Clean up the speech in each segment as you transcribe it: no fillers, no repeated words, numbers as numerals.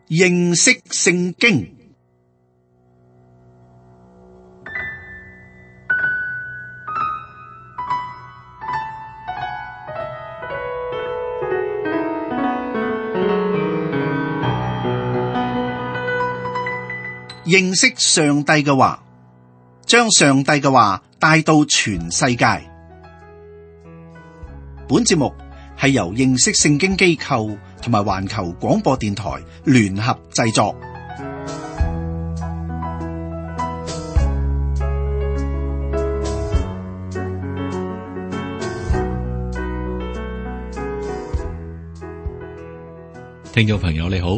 認識聖經。認識上帝嘅話，將上帝嘅話帶到全世界。本節目係由認識聖經機構同埋環球廣播電台聯合製作。聽眾朋友你好，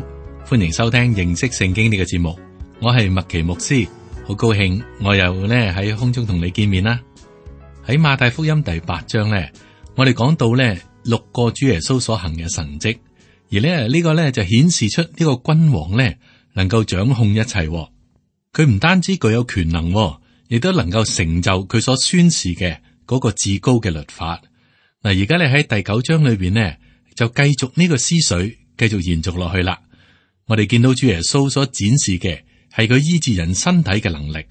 歡迎收聽認識聖經呢個節目。我係麥奇牧師，好高興我又咧喺空中同你見面啦。喺馬太福音第8章咧，我哋講到咧6個主耶穌所行嘅神蹟，而咧呢個咧就顯示出呢個君王咧能夠掌控一切。佢唔單止具有權能，亦都能夠成就佢所宣示嘅嗰個至高嘅律法。嗱，而家你喺第9章裏邊呢，就繼續呢個思緒，繼續延續落去啦。我哋見到主耶穌所展示嘅係佢醫治人身體嘅能力。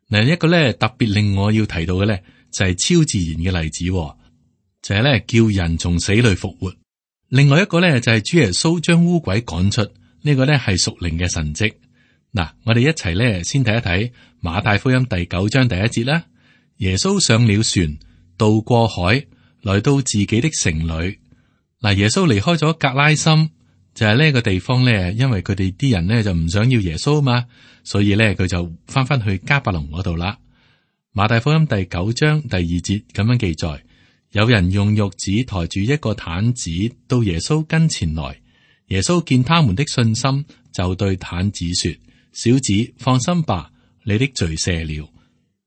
嗱，一個咧特別令我要提到嘅咧就係超自然嘅例子，就係咧叫人從死裏復活。另外一個咧就係主耶穌將污鬼趕出，呢個咧係屬靈嘅神蹟。嗱，我哋一齊咧先睇一睇馬太福音第9章第1節啦。耶穌上了船，渡過海，來到自己的城裏。嗱，耶穌離開咗格拉森。就係呢個地方咧，因為佢哋啲人咧就唔想要耶穌嘛，所以咧佢就翻去迦百農嗰度啦。馬太福音第9章第2節咁樣記載：有人用褥子抬住一個癱子到耶穌跟前來，耶穌見他們的信心，就對癱子說：小子，放心吧，你的罪赦了。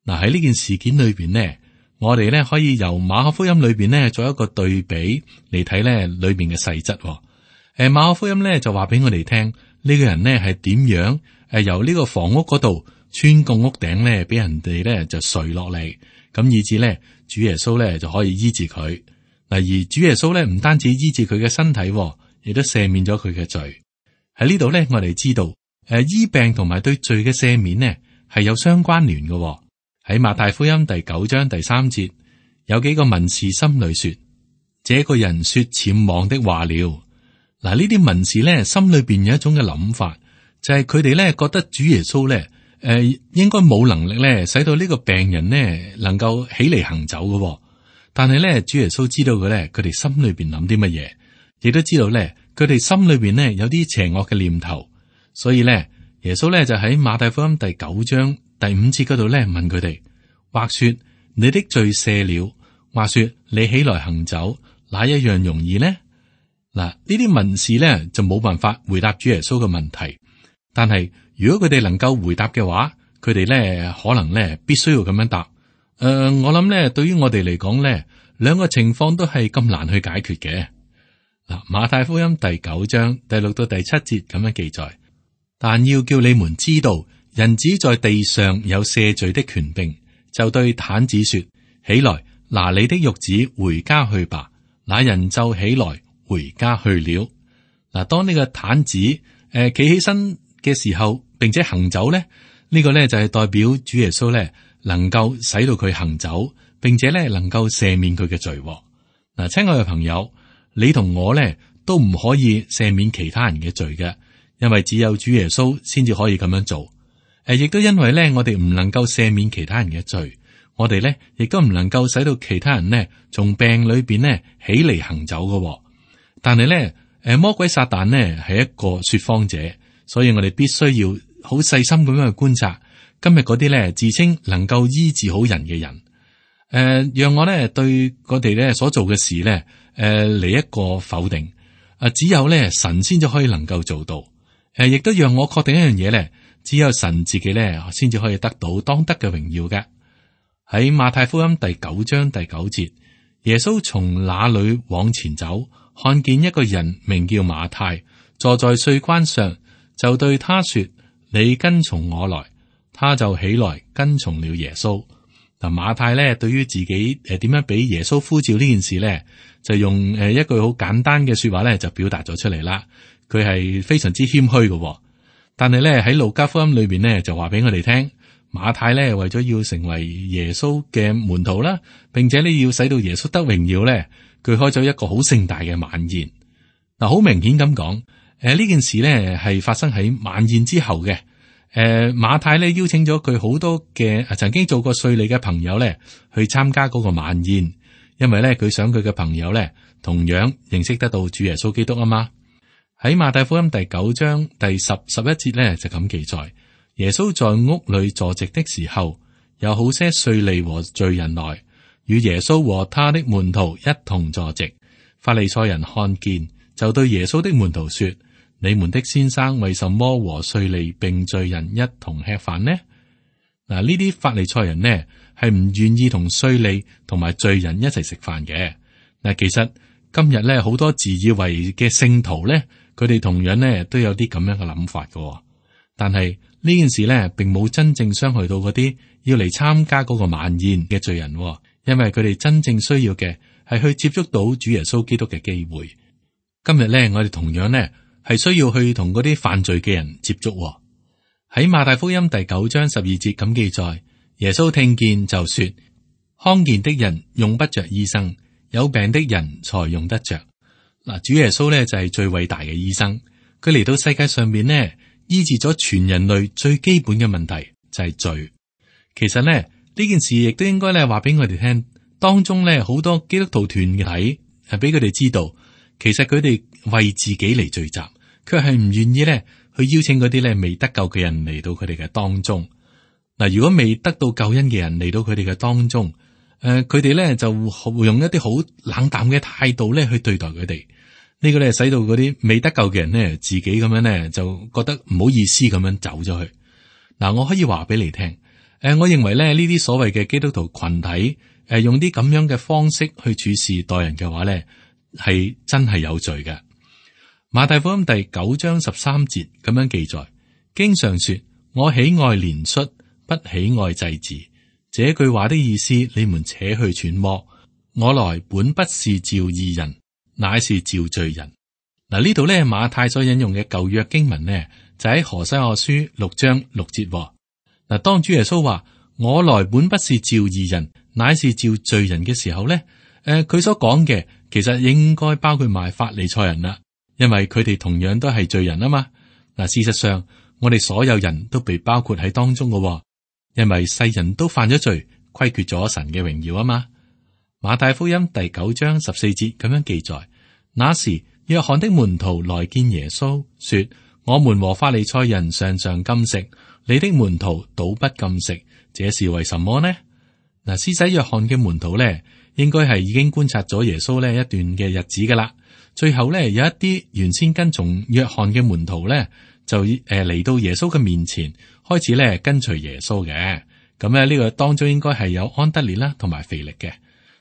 嗱，喺呢件事件裏邊呢，我哋咧可以由馬可福音裏邊呢做一個對比嚟睇咧裏邊嘅細則。馬可福音咧就話俾我哋聽，呢個人呢係點樣由呢個房屋嗰度穿過屋頂咧，俾人哋咧就垂落嚟，咁以至咧主耶穌咧就可以醫治佢。嗱，而主耶穌咧唔單止醫治佢嘅身體，亦都赦免咗佢嘅罪。喺呢度咧，我哋知道醫病同埋對罪嘅赦免呢係有相關聯嘅。喺馬太福音第9章第3節，有幾個文士心裏說：這個人說僭妄的話了。嗱，呢啲文士咧心裏邊有一種嘅諗法，就係佢哋咧覺得主耶穌咧應該冇能力咧使到呢個病人呢能夠起嚟行走嘅。但係咧主耶穌知道嘅咧，佢哋心裏邊諗啲乜嘢，亦都知道咧佢哋心裏邊呢有啲邪惡嘅念頭。所以咧耶穌咧就喺馬太福音第9章第5節嗰度咧問佢哋：或說你的罪赦了，或說你起來行走，哪一樣容易呢？嗱，呢啲文士咧就冇辦法回答主耶穌嘅問題，但係如果佢哋能夠回答嘅話，佢哋咧可能咧必須要咁樣答。我諗咧對於我哋嚟講咧，兩個情況都係咁難去解決嘅。嗱，馬太福音第9章第6到第7節咁樣記載：但要叫你們知道，人子在地上有赦罪的權柄，就對癱子說：起來，拿你的褥子回家去吧。那人就起來回家去了。嗱，當呢個癱子企起身嘅時候，並且行走咧，呢個咧就係代表主耶穌咧能夠使到佢行走，並且咧能夠赦免佢嘅罪。嗱，親愛嘅朋友，你同我咧都唔可以赦免其他人嘅罪嘅，因為只有主耶穌先至可以咁樣做。亦都因為咧我哋唔能夠赦免其他人嘅罪，我哋咧亦都唔能夠使到其他人呢從病裏邊呢起嚟行走嘅。但係咧，魔鬼撒旦呢係一個說謊者，所以我哋必須要好細心咁樣去觀察今日嗰啲咧自稱能夠醫治好人嘅人。讓我咧對我哋咧所做嘅事咧，嚟一個否定。只有咧神先至可以能夠做到。亦都讓我確定一樣嘢咧，只有神自己咧先至可以得到當得嘅榮耀嘅。喺馬太福音第9章第9節，耶穌從那裏往前走，看見一個人名叫馬太，坐在稅關上，就對他說：你跟從我來。他就起來跟從了耶穌。嗱，馬太咧對於自己點樣俾耶穌呼召呢件事咧，就用一句好簡單嘅說話咧就表達咗出嚟啦。佢係非常之謙虛嘅。但係咧喺路加福音裏邊呢，就話俾我哋聽，馬太咧為咗要成為耶穌嘅門徒啦，並且呢要使到耶穌得榮耀咧，佢開咗一個好盛大嘅晚宴。嗱，好明顯咁講，呢件事呢係發生喺晚宴之後嘅。馬太咧邀請咗佢好多嘅曾經做過稅吏嘅朋友咧去參加嗰個晚宴，因為咧佢想佢嘅朋友咧同樣認識得到主耶穌基督啊嘛。喺馬太福音第9章第10、11節咧就咁記載，耶穌在屋裏坐席的時候，有好些稅吏和罪人來與耶穌和他的門徒一同坐席。法利賽人看見，就對耶穌的門徒說：你們的先生為什麼和稅吏並罪人一同吃飯呢？嗱，呢啲法利賽人呢係唔願意同稅吏同埋罪人一齊食飯嘅。嗱，其實今日咧好多自以為嘅聖徒咧，佢哋同樣呢都有啲咁樣嘅諗法嘅。但係呢件事呢並冇真正傷害到嗰啲要嚟參加嗰個晚宴嘅罪人，因為佢哋真正需要嘅係去接觸到主耶穌基督嘅機會。今日呢，我哋同樣呢係需要去同嗰啲犯罪嘅人接觸。喺馬太福音第9章12節咁記載，耶穌聽見就說：康健的人用不着醫生，有病的人才用得着。嗱，主耶穌呢就係最偉大嘅醫生，佢嚟到世界上面呢醫治咗全人類最基本嘅問題，就係罪。其實呢件事亦都應該咧話俾我哋聽，當中呢好多基督徒團體係俾佢哋知道，其實佢哋為自己嚟聚集，佢係唔願意咧去邀請嗰啲咧未得救嘅人嚟到佢哋嘅當中。嗱，如果未得到救恩嘅人嚟到佢哋嘅當中，佢哋咧就會用一啲好冷淡嘅態度咧去對待佢哋。呢個咧使到嗰啲未得救嘅人咧自己咁樣咧就覺得唔好意思咁樣走咗去。嗱，我可以話俾你聽，我認為咧呢啲所謂嘅基督徒群體，用啲咁樣嘅方式去處事待人嘅話咧，係真係有罪嘅。馬太福音第9章13節咁樣記載，經上說：我喜愛憐恤，不喜愛祭祀。這句話的意思，你們且去揣摩。我來本不是召義人，乃是召罪人。嗱，呢度咧馬太所引用嘅舊約經文呢，就喺何西阿書6章6節。嗱，當主耶穌話我來本不是召義人，乃是召罪人嘅時候咧，佢所講嘅其實應該包括埋法利賽人啦。因為佢哋同樣都係罪人啊嘛。嗱，事實上我哋所有人都被包括喺當中嘅，因為世人都犯咗罪，虧缺咗神嘅榮耀啊嘛。馬太福音第9章14節咁樣記載，那時約翰的門徒來見耶穌，說：我們和法利賽人常常禁食，你的門徒倒不禁食，這是為什麼呢？嗱，施洗約翰嘅門徒咧，應該係已經觀察咗耶穌呢一段嘅日子噶啦。最後咧，有一啲原先跟從約翰嘅門徒咧，就嚟到耶穌嘅面前，開始咧跟隨耶穌嘅。咁咧呢個當中應該係有安德烈啦，同埋腓力嘅。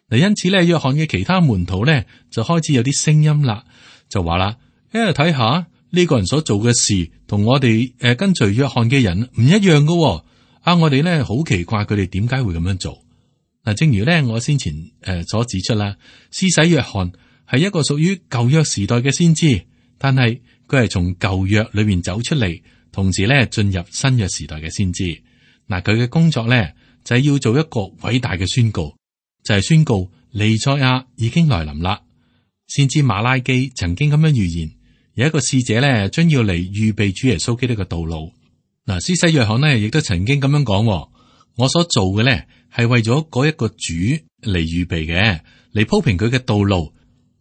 嗱，因此咧，約翰嘅其他門徒咧就開始有啲聲音啦，就話啦：睇下呢個人所做嘅事，同我哋跟隨約翰嘅人唔一樣噶。我哋咧好奇怪佢哋點解會咁樣做。嗱，正如咧我先前所指出啦，施洗約翰係一個屬於舊約時代嘅先知，但係佢係從舊約裏面走出嚟，同時咧進入新約時代嘅先知。嗱，佢嘅工作咧就係要做一個偉大嘅宣告，就係宣告彌賽亞已經來臨啦。先知馬拉基曾經咁樣預言，有一個使者咧將要嚟預備主耶穌基督嘅道路。嗱，施洗約翰呢亦都曾經咁樣講：我所做嘅咧係為咗嗰一個主嚟預備嘅，嚟鋪平佢嘅道路。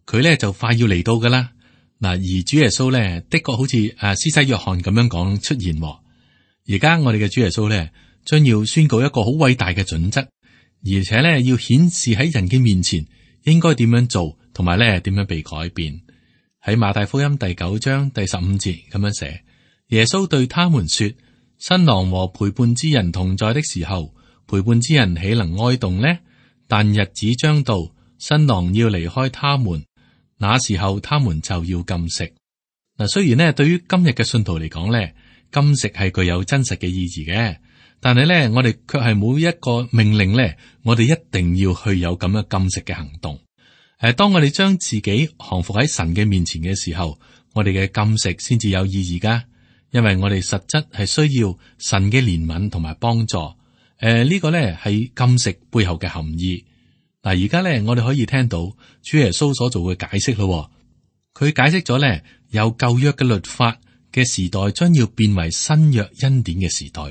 佢咧就快要嚟到噶啦。嗱，而主耶穌咧的確好似施洗約翰咁樣講出現。而家我哋嘅主耶穌咧將要宣告一個好偉大嘅準則，而且咧要顯示喺人嘅面前應該點樣做，同埋咧點樣被改變。喺馬太福音第9章第15節咁樣寫：耶穌對他們說，新郎和陪伴之人同在的時候，陪伴之人豈能哀慟呢？但日子將到，新郎要離開他們，那時候他們就要禁食。嗱，雖然呢對於今日嘅信徒嚟講咧，禁食係具有真實嘅意義嘅，但係咧我哋卻係冇一個命令咧，我哋一定要去有咁樣禁食嘅行動。當我哋將自己降服喺神嘅面前嘅時候，我哋嘅禁食先至有意義噶，因為我哋實質係需要神嘅憐憫同埋幫助。呢個咧係禁食背後嘅含義。嗱，而家咧我哋可以聽到主耶穌所做嘅解釋咯。佢解釋咗咧，由舊約嘅律法嘅時代將要變為新約恩典嘅時代。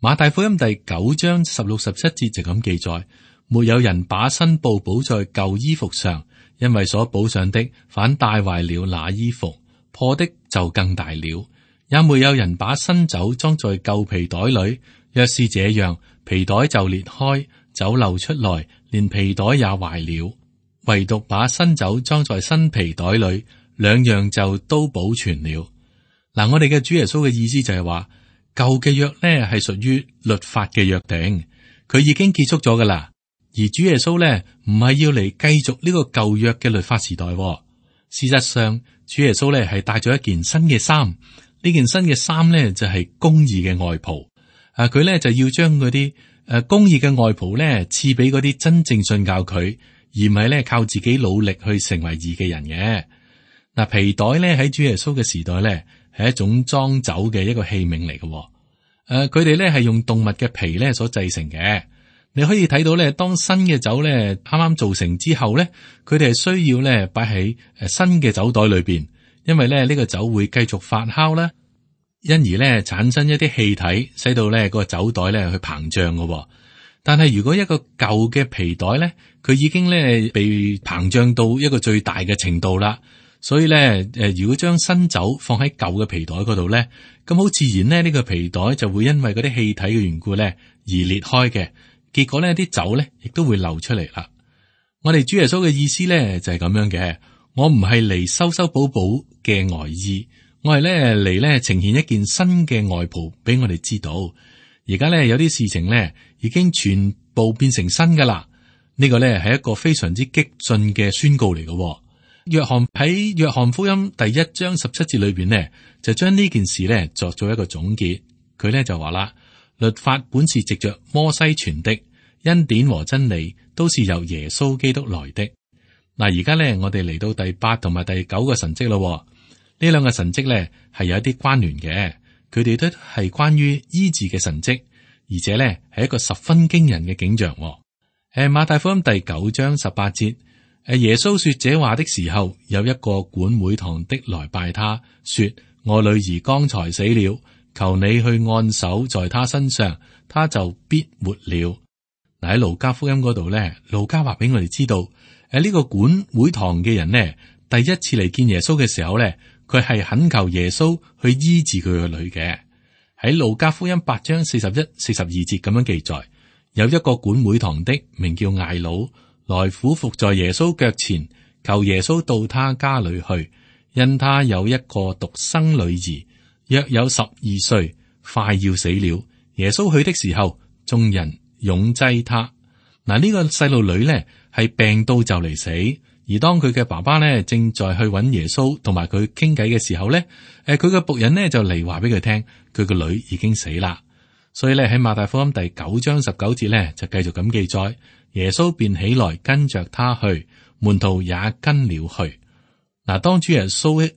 馬太福音第9章16、17節就咁記載：沒有人把新布補在舊衣服上，因為所補上的反帶壞了那衣服，破的就更大了。也沒有人把新酒裝在舊皮袋裏，若是這樣，皮袋就裂開，酒漏出來，連皮袋也壞了。唯獨把新酒裝在新皮袋裏，兩樣就都保存了。嗱，我哋嘅主耶穌嘅意思就係話，舊嘅約呢係屬於律法嘅約定，佢已經結束咗噶啦。而主耶穌呢唔係要嚟繼續呢個舊約嘅律法時代。事實上，主耶穌呢係帶咗一件新嘅衫，呢件新嘅衫呢就係公義嘅外袍。佢呢就要將嗰啲公義嘅外袍呢賜俾嗰啲真正信教佢，而唔係呢靠自己努力去成為義嘅人嘅。嗱，皮袋呢喺主耶穌嘅時代呢係一種裝酒嘅一個器皿嚟嘅。佢哋呢係用動物嘅皮呢所製成嘅。你可以睇到呢，當新嘅酒呢啱啱造成之後呢，佢哋係需要呢擺喺新嘅酒袋裏邊，因為呢個酒會繼續發酵啦，因而呢產生一啲氣體，使到呢個酒袋呢去膨脹嘅。但係如果一個舊嘅皮袋呢，佢已經呢被膨脹到一個最大嘅程度啦。所以咧，如果將新酒放喺舊嘅皮袋嗰度咧，咁好自然咧，呢個皮袋就會因為嗰啲氣體嘅緣故咧而裂開嘅。結果咧，啲酒咧亦都會流出嚟啦。我哋主耶穌嘅意思咧就係咁樣嘅。我唔係嚟修修補補嘅外衣，我係咧嚟咧呈現一件新嘅外袍俾我哋知道。而家咧有啲事情咧已經全部變成新噶啦。呢個咧係一個非常之激進嘅宣告嚟嘅。約翰喺約翰福音第1章17節裏邊呢，就將呢件事呢作咗一個總結。佢呢就話啦，律法本是藉着摩西傳的，恩典和真理都是由耶穌基督來的。嗱，而家呢，我哋嚟到第8同埋第9個神蹟咯。呢兩個神蹟呢係有一啲關聯嘅，佢哋都係關於醫治嘅神蹟，而且呢係一個十分驚人嘅景象。馬太福音第9章18節。耶穌說這話的時候，有一個管會堂的來拜他，說：我女兒剛才死了，求你去按手在他身上，他就必活了。嗱，喺路加福音嗰度咧，路加話俾我哋知道，呢個管會堂嘅人呢，第一次嚟見耶穌嘅時候咧，佢係懇求耶穌去醫治佢個女嘅。喺路加福音8章41、42節咁樣記載，有一個管會堂的名叫艾魯，來俯伏在耶穌腳前，求耶穌到他家裏去，因他有一個獨生女兒，約有12歲，快要死了。耶穌去的時候，眾人擁擠他。嗱，呢個細路女呢係病到就嚟死，而當佢嘅爸爸呢正在去揾耶穌同埋佢傾偈嘅時候呢，佢嘅僕人呢就嚟話俾佢聽，佢個女已經死啦。所以咧喺馬太福音第9章19節呢，就繼續咁記載。耶穌便起來跟着他去，門徒也跟了去。嗱，當主耶穌起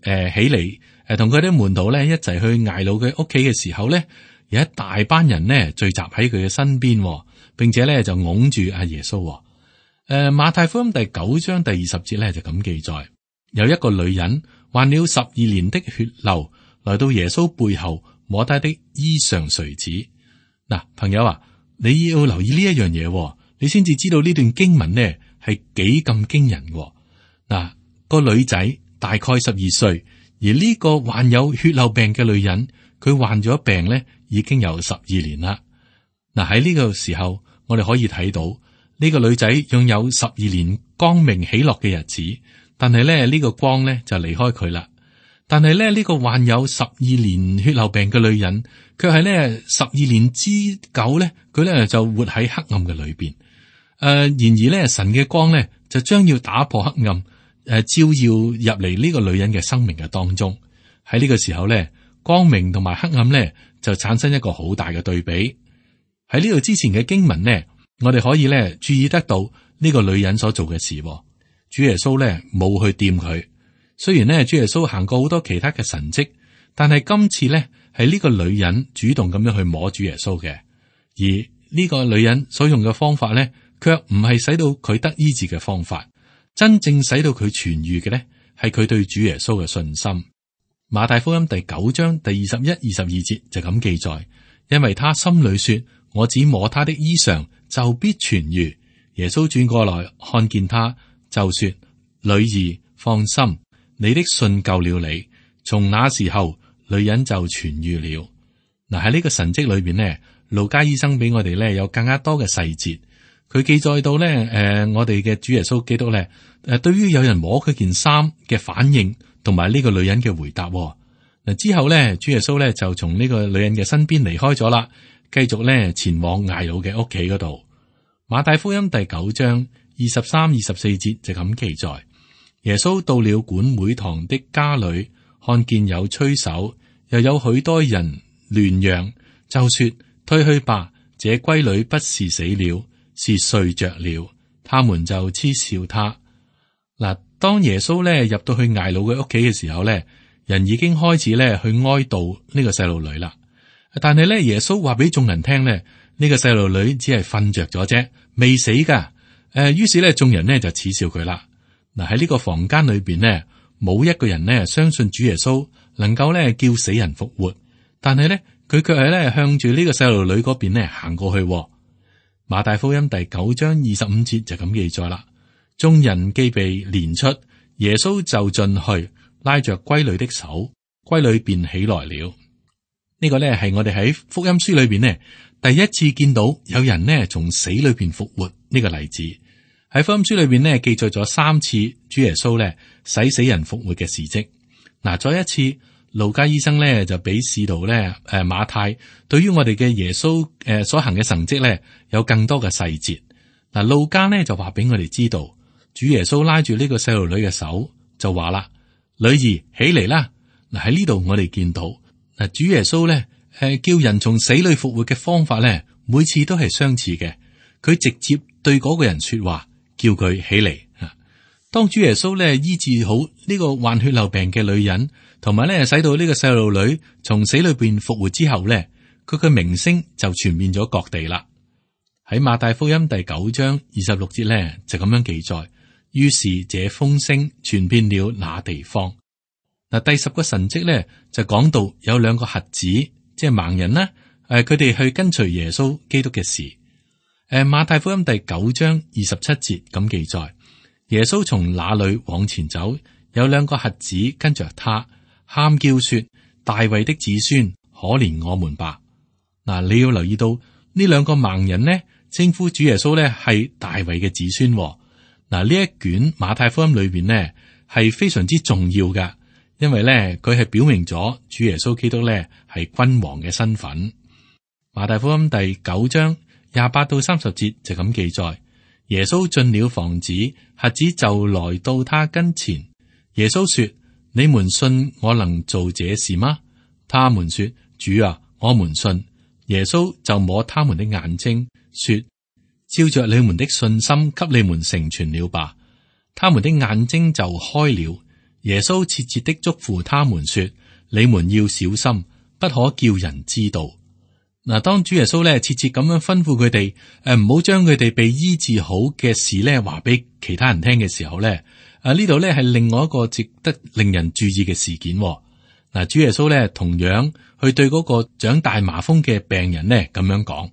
嚟同佢啲門徒咧一齊去艾魯嘅屋企嘅時候咧，有一大班人呢聚集喺佢嘅身邊，並且咧就擁住阿耶穌。馬太福音第9章第20節咧就咁記載，有一個女人患了12年的血漏，來到耶穌背後摸他的衣裳繸子。嗱，朋友啊，你要留意呢一樣嘢。你先至知道呢段經文呢係幾咁驚人嘅。嗱，個女仔大概12歲，而呢個患有血漏病嘅女人，佢患咗病呢已經有12年啦。嗱，喺呢個時候，我哋可以睇到呢個女仔擁有12年光明喜樂嘅日子，但係咧呢個光呢就離開佢啦。但係咧呢個患有12年血漏病嘅女人，卻係咧12年之久咧，佢咧就活喺黑暗嘅裏邊。然而咧，神嘅光咧就將要打破黑暗，照耀入嚟呢個女人嘅生命嘅當中。喺呢個時候咧，光明同埋黑暗咧就產生一個好大嘅對比。喺呢度之前嘅經文呢，我哋可以咧注意得到呢個女人所做嘅事。主耶穌咧冇去掂佢，雖然咧主耶穌行過好多其他嘅神蹟，但係今次咧係呢個女人主動咁樣去摸主耶穌嘅，而呢個女人所用嘅方法咧，卻唔係使到佢得醫治嘅方法，真正使到佢痊癒嘅咧，係佢對主耶穌嘅信心。馬太福音第9章第21、22節就咁記載，因為他心裏說：我只摸他的衣裳，就必痊癒。耶穌轉過來看見他，就說：女兒，放心，你的信救了你。從那時候，女人就痊癒了。嗱，喺呢個神蹟裏邊呢，路加醫生俾我哋咧有更加多嘅細節。佢記載到咧，我哋嘅主耶穌基督咧，對於有人摸佢件衫嘅反應，同埋呢個女人嘅回答。嗱，之後咧，主耶穌咧就從呢個女人嘅身邊離開咗啦，繼續咧前往睚魯嘅屋企嗰度。馬太福音第9章23、24節就咁記載：耶穌到了管會堂的家裏，看見有吹手，又有許多人亂嚷，就說：退去吧，這閨女不是死了，是睡着了。他們就嗤笑他。嗱，當耶穌咧入到去睚魯嘅屋企嘅時候咧，人已經開始咧去哀悼呢個細路女啦。但係咧，耶穌話俾眾人聽咧，呢個細路女只係瞓着咗啫，未死噶。於是咧，眾人呢就恥笑佢啦。嗱，喺呢個房間裏邊呢，冇一個人呢相信主耶穌能夠咧叫死人復活，但係咧佢卻係咧向住呢個細路女嗰邊咧行過去。馬太福音第9章25節就咁記載啦。眾人既被攆出，耶穌就進去拉着閨女的手，閨女便起來了。呢個咧係我哋喺福音書裏邊呢第一次見到有人呢從死裏邊復活呢個例子。喺福音書裏邊呢記載咗3次主耶穌咧使死人復活嘅事蹟。嗱，再一次路加醫生咧就俾使徒咧馬太對於我哋嘅耶穌所行嘅神蹟咧有更多嘅細節。嗱，路加呢就話俾我哋知道，主耶穌拉住呢個細路女嘅手就話啦：女兒起嚟啦！嗱，喺呢度我哋見到嗱，主耶穌咧叫人從死裏復活嘅方法咧，每次都係相似嘅。佢直接對嗰個人說話，叫佢起嚟。當主耶穌咧醫治好呢個患血漏病嘅女人，同埋咧使到呢個細路女從死裏邊復活之後咧，佢嘅名聲就傳遍咗各地啦。喺馬太福音第9章26節咧就咁樣記載，於是這風聲傳遍了那地方。嗱，第10個神蹟咧就講到有2個瞎子，即係盲人啦，佢哋去跟隨耶穌基督嘅事。馬太福音第9章27節咁記載，耶穌從那裏往前走，有2個瞎子跟着他，喊叫說：大衛的子孫，可憐我們吧。嗱，你要留意到呢2個盲人呢，稱呼主耶穌咧係大衛嘅子孫。嗱，呢一卷馬太福音裏邊呢係非常之重要噶，因為咧佢係表明咗主耶穌基督咧係君王嘅身份。馬太福音第9章28到30節就咁記載，耶穌進了房子，瞎子就來到他跟前。耶穌說：你們信我能做這事嗎？他們說：主啊，我們信。耶穌就摸他們的眼睛，說：照着你們的信心，給你們成全了吧。他們的眼睛就開了。耶穌切切的囑咐他們說：你們要小心，不可叫人知道。嗱，當主耶穌咧切切咁樣吩咐佢哋，唔好將佢哋被醫治好嘅事咧話俾其他人聽嘅時候咧，呢度咧係另外一個值得令人注意嘅事件。嗱，主耶穌咧同樣去對嗰個長大麻風嘅病人咧咁樣講。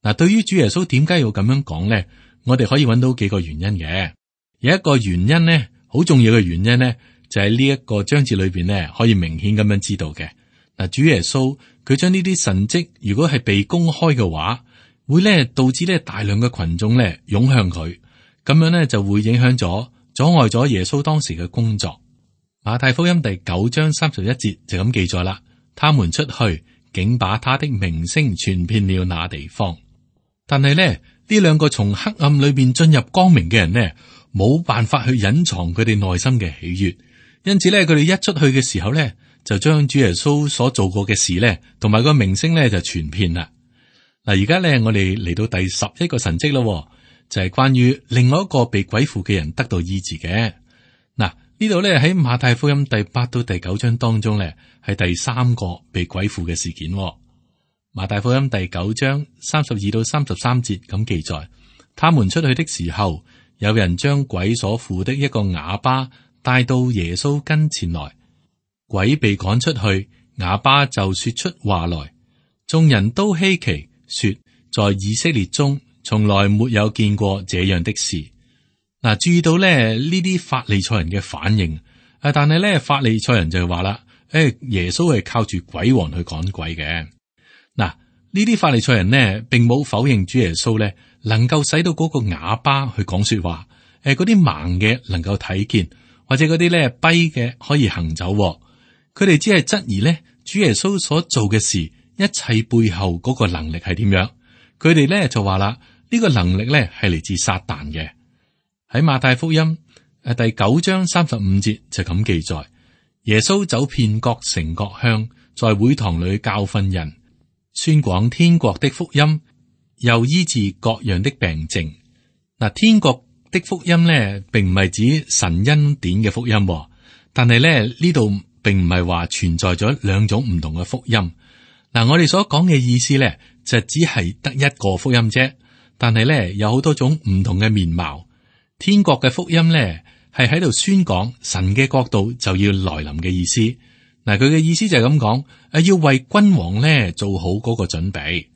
嗱，對於主耶穌點解要咁樣講咧？我哋可以揾到幾個原因嘅。有一個原因咧，好重要嘅原因咧，就喺呢一個章節裏邊咧，可以明顯咁樣知道嘅。嗱，主耶穌佢將呢啲神蹟，如果係被公開嘅話，會咧導致咧大量嘅群眾咧湧向佢，咁樣咧就會影響咗、阻礙咗耶穌當時嘅工作。馬太福音第9章31節就咁記載啦，他們出去，竟把他的名聲傳遍了那地方。但係咧，呢2個從黑暗裏邊進入光明嘅人呢，冇辦法去隱藏佢哋內心嘅喜悅，因此咧，佢哋一出去嘅時候咧，就將主耶穌所做過嘅事咧，同埋個名聲咧就傳遍啦。嗱，而家咧我哋嚟到第11個神蹟咯，就係關於另外一個被鬼附嘅人得到醫治嘅。嗱，呢度咧喺馬太福音第8到第9章當中咧，係第3個被鬼附嘅事件。馬太福音第9章32到33節咁記載，他們出去的時候，有人將鬼所附的一個啞巴帶到耶穌跟前來，鬼被趕出去，啞巴就說出話來。眾人都稀奇，說在以色列中從來沒有見過這樣的事。嗱，注意到咧呢啲法利賽人嘅反應，但係咧法利賽人就話啦，耶穌係靠住鬼王去趕鬼嘅。嗱，呢啲法利賽人呢，並冇否認主耶穌咧能夠使到嗰個啞巴去講說話，嗰啲盲嘅能夠睇見，或者嗰啲咧跛嘅可以行走。佢哋只係質疑咧主耶穌所做嘅事，一切背後嗰個能力係點樣？佢哋咧就話啦，呢個能力咧係嚟自撒旦嘅。喺馬太福音第9章35節就咁記載，耶穌走遍各城各鄉，在會堂裏教訓人，宣廣天國的福音，又醫治各樣的病症。嗱，天國的福音咧，並唔係指神恩典嘅福音，但係咧呢度並唔係話存在咗兩種唔同嘅福音。嗱，我哋所講嘅意思咧，就只係得一個福音啫，但係咧有好多種唔同嘅面貌。天國嘅福音咧，係喺度宣講神嘅國度就要來臨嘅意思。嗱，佢嘅意思就係咁講，要為君王咧做好嗰個準備。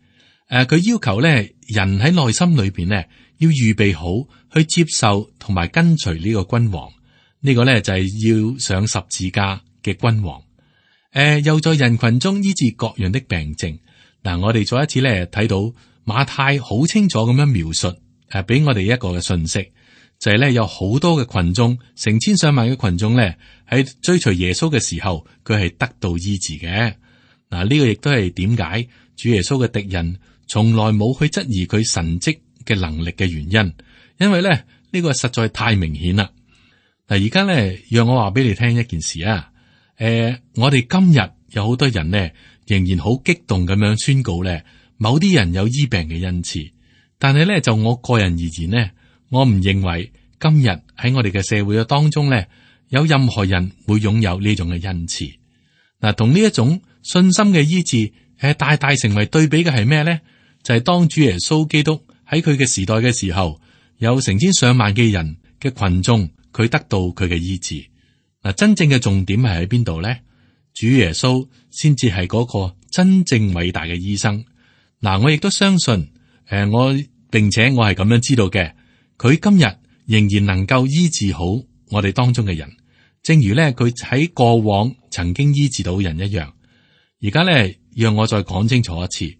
佢要求咧人喺內心裏邊咧要預備好去接受同埋跟隨呢個君王。呢個咧就係要上十字架嘅君王。又在人群中醫治各樣的病症。嗱，我哋再一次咧睇到馬太好清楚咁樣描述，俾我哋一個嘅信息。就係咧，有好多嘅群眾，成千上萬嘅群眾咧，喺追隨耶穌嘅時候，佢係得到醫治嘅。嗱，呢個亦都係點解主耶穌嘅敵人從來冇去質疑佢神蹟嘅能力嘅原因，因為咧呢個實在太明顯啦。嗱，而家咧，讓我話俾你聽一件事啊。我哋今日有好多人呢，仍然好激動咁樣宣告咧，某啲人有醫病嘅恩賜，但係咧就我個人而言呢，我唔認為今日喺我哋嘅社會嘅當中咧，有任何人會擁有呢種嘅恩賜。嗱，同呢一種信心嘅醫治，大大成為對比嘅係咩咧？就係當主耶穌基督喺佢嘅時代嘅時候，有成千上萬嘅人嘅群眾，佢得到佢嘅醫治。嗱，真正嘅重點係喺邊度咧？主耶穌先至係嗰個真正偉大嘅醫生。嗱，我亦都相信，並且我係咁樣知道嘅。佢今日仍然能夠醫治好我哋當中嘅人，正如咧佢喺過往曾經醫治到人一樣。而家咧，讓我再講清楚一次，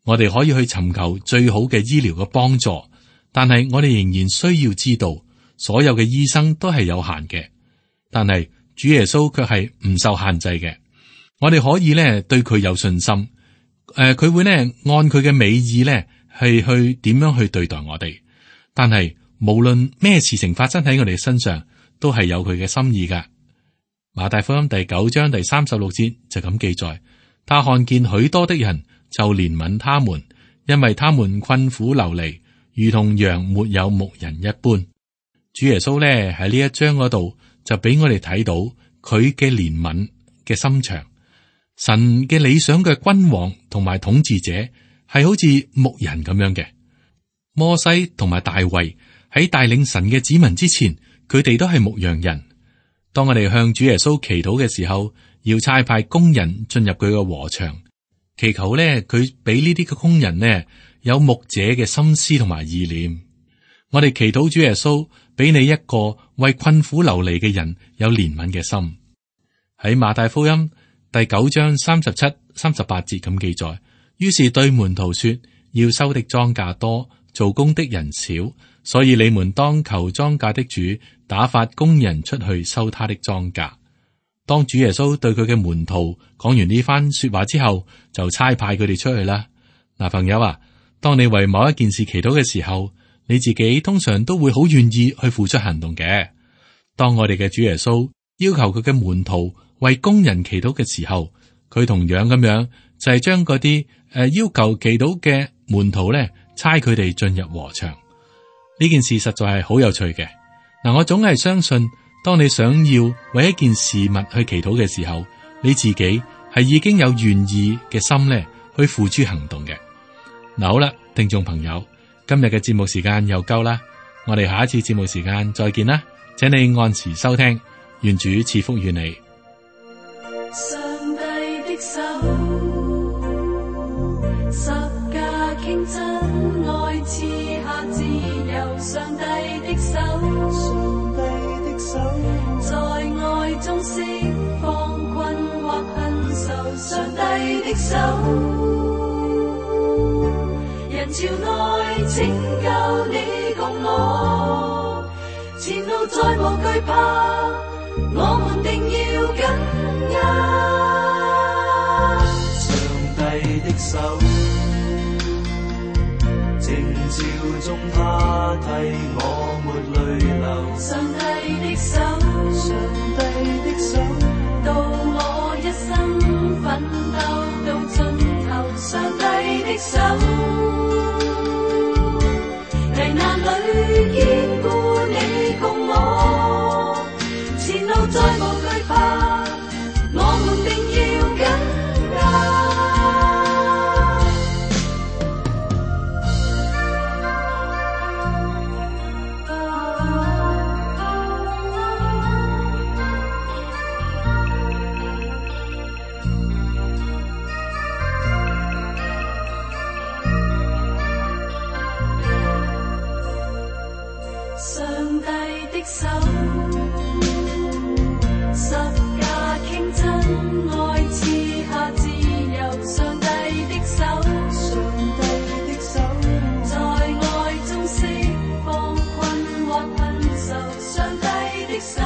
我哋可以去尋求最好嘅醫療嘅幫助，但係我哋仍然需要知道，所有嘅醫生都係有限嘅，但係主耶穌卻係唔受限制嘅。我哋可以咧對佢有信心，佢會咧按佢嘅美意咧係去點樣去對待我哋，但係無論咩事情發生喺我哋身上，都係有佢嘅心意噶。馬太福音第9章第36節就咁記載，他看見許多的人，就憐憫他們，因為他們困苦流離，如同羊沒有牧人一般。主耶穌咧喺呢一章嗰度就俾我哋睇到佢嘅憐憫嘅心腸。神嘅理想嘅君王同埋統治者係好似牧人咁樣嘅。摩西同埋大衛喺帶領神嘅子民之前，佢哋都係牧羊人。當我哋向主耶穌祈禱嘅時候，要差派工人進入佢嘅禾場，祈求咧佢俾呢啲嘅工人呢有牧者嘅心思同埋意念。我哋祈禱主耶穌俾你一個為困苦流離嘅人有憐憫嘅心。喺馬太福音第9章37、38節咁記載，於是對門徒說：要收的莊稼多，做工的人少，所以你們當求莊稼的主打發工人出去收他的莊稼。當主耶穌對佢嘅門徒講完呢番說話之後，就差派佢哋出去啦。嗱，朋友啊，當你為某一件事祈禱嘅時候，你自己通常都會好願意去付出行動嘅。當我哋嘅主耶穌要求佢嘅門徒為工人祈禱嘅時候，佢同樣咁樣就係將嗰啲要求祈禱嘅門徒咧，差佢哋進入禾場。呢件事實在係好有趣嘅。嗱，我總係相信當你想要為一件事物去祈禱嘅時候，你自己係已經有願意嘅心咧，去付諸行動嘅。嗱，好啦，聽眾朋友，今日嘅節目時間又夠啦，我哋下一次節目時間再見啦，請你按時收聽，願主賜福與你。上帝的手，十架傾真愛賜下自由，上帝的手，上帝的手，在愛中釋放困惑恨愁，上帝的手，人潮內拯救你共我，前路再無懼怕，我們定要緊握。上帝的手，靜照中他替我抹淚流。上帝的手，上帝的手，到我一生奮鬥到盡頭。上帝的手，危難裏堅固你共我，前路再無懼怕，我們定要緊握。上帝的手，十架傾真愛賜下自由。上帝的手，上帝的手，在愛中釋放困惑恨愁。上帝的手。